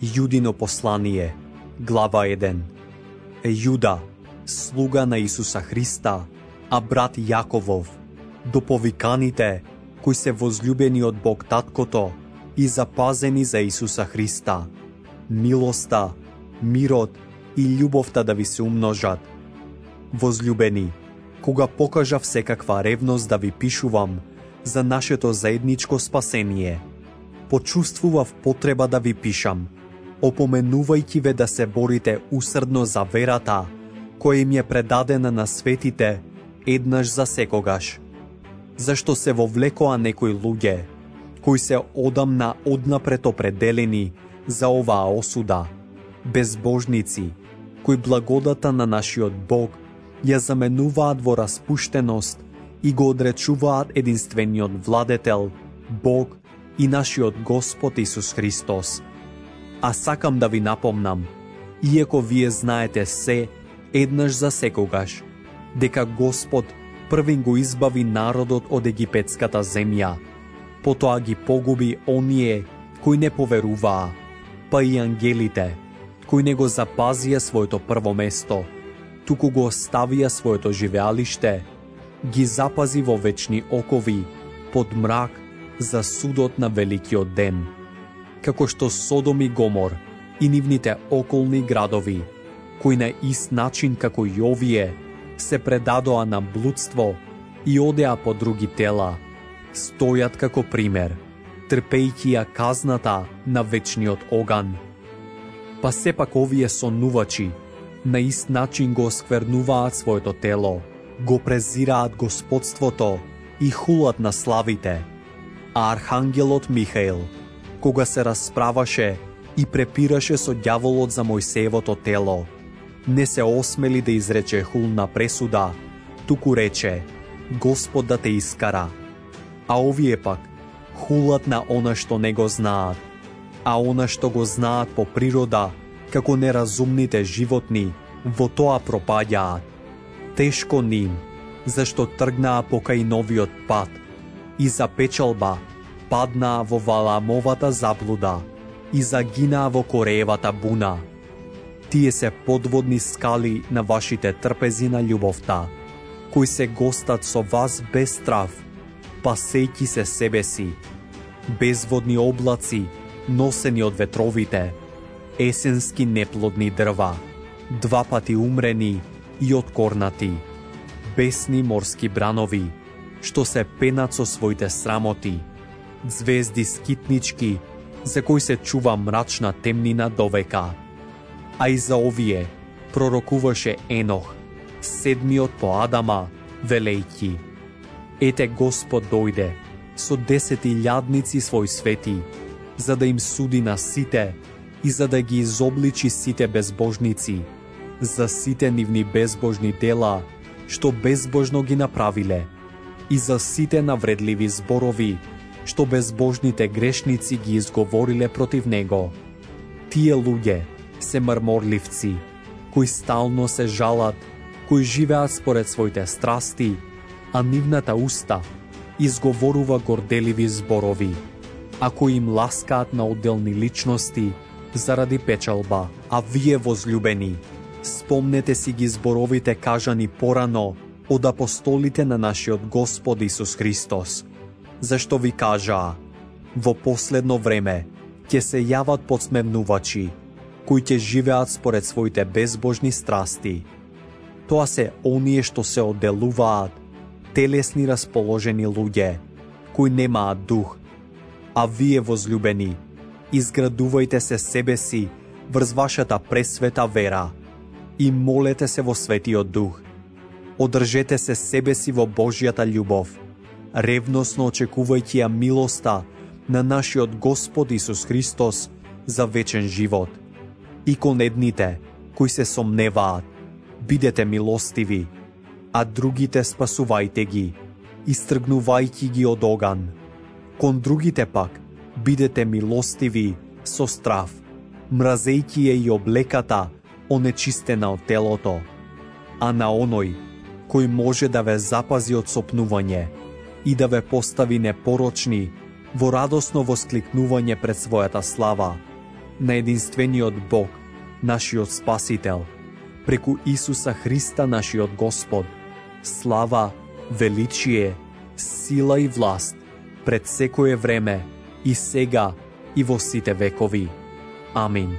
Јудино послание, глава 1. Јуда, слуга на Исуса Христа, а брат Јаковов, до повиканите, кои се возљубени од Бог Таткото и запазени за Исуса Христа. Милоста, мирот и љубовта да ви се умножат. Возљубени, кога покажав секаква ревност да ви пишувам за нашето заедничко спасение, почувствував потреба да ви пишам, опоменувајќи ве да се борите усрдно за верата, која им е предадена на светите еднаш за секогаш. Зашто се вовлекоа некои луѓе, кои се одамна однапред определени за оваа осуда, безбожници, кои благодата на нашиот Бог ја заменуваат во распуштеност и го одречуваат единствениот владетел, Бог и нашиот Господ Исус Христос. А сакам да ви напомнам, иако вие знаете се, еднаш за секогаш, дека Господ првин го избави народот од египетската земја, потоа ги погуби оние кои не поверуваа, па и ангелите, кои не го запазија своето прво место, туку го оставија своето живеалиште, ги запази во вечни окови, под мрак, за судот на великиот ден. Како што Содом и Гомор и нивните околни градови, кои на ист начин како и овие, се предадоа на блудство и одеа по други тела, стојат како пример, трпејќи ја казната на вечниот оган. Па сепак овие сонувачи на ист начин го осквернуваат своето тело, го презираат господството и хулат на славите. А архангелот Михаил, кога се расправаше и препираше со ѓаволот за Мојсеевото тело, не се осмели да изрече хулна пресуда, туку рече: Господ да те искара. А овие пак хулат на она што не го знаат, а она што го знаат по природа, како неразумните животни, во тоа пропаѓаат. Тешко ним, зашто тргнаа покај новиот пат и за печалба паднаа во Валаамовата заблуда и загинаа во Кореевата буна. Тие се подводни скали на вашите трпези на љубовта, кои се гостат со вас без страв, пасејќи се себе си, безводни облаци, носени од ветровите, есенски неплодни дрва, два пати умрени и откорнати, бесни морски бранови, што се пенат со своите срамоти, звезди скитнички, за кои се чува мрачна темнина довека. А и за овие пророкуваше Енох, седмиот по Адама, велејќи: Ете Господ дојде со 10.000 своји свети, за да им суди на сите и за да ги изобличи сите безбожници, за сите нивни безбожни дела, што безбожно ги направиле, и за сите навредливи зборови, што безбожните грешници ги изговориле против него. Тие луѓе се мрморливци, кои стално се жалат, кои живеат според своите страсти, а нивната уста изговорува горделиви зборови, а кои им ласкаат на отделни личности заради печалба. А вие, возљубени, спомнете си ги зборовите кажани порано од апостолите на нашиот Господ Исус Христос, зашто ви кажаа: во последно време ќе се јават подсмевнувачи, кои ќе живеат според своите безбожни страсти. Тоа се оние што се одделуваат, телесни расположени луѓе, кои немаат дух. А вие, возљубени, изградувајте се себе си врз вашата пресвета вера и молете се во Светиот Дух. Одржете се себе си во Божјата љубов, ревносно очекувајќи ја милоста на нашиот Господ Исус Христос за вечен живот. И кон едните кои се сомневаат, бидете милостиви, а другите спасувајте ги, истргнувајќи ги од оган. Кон другите пак бидете милостиви со страв, мразејќи ја и облеката онечистена од телото, а на оној кој може да ве запази од сопнување и да ве постави непорочни во радосно воскликнување пред својата слава, на единствениот Бог, нашиот Спасител, преку Исуса Христа, нашиот Господ, слава, величие, сила и власт пред секое време и сега и во сите векови. Амин.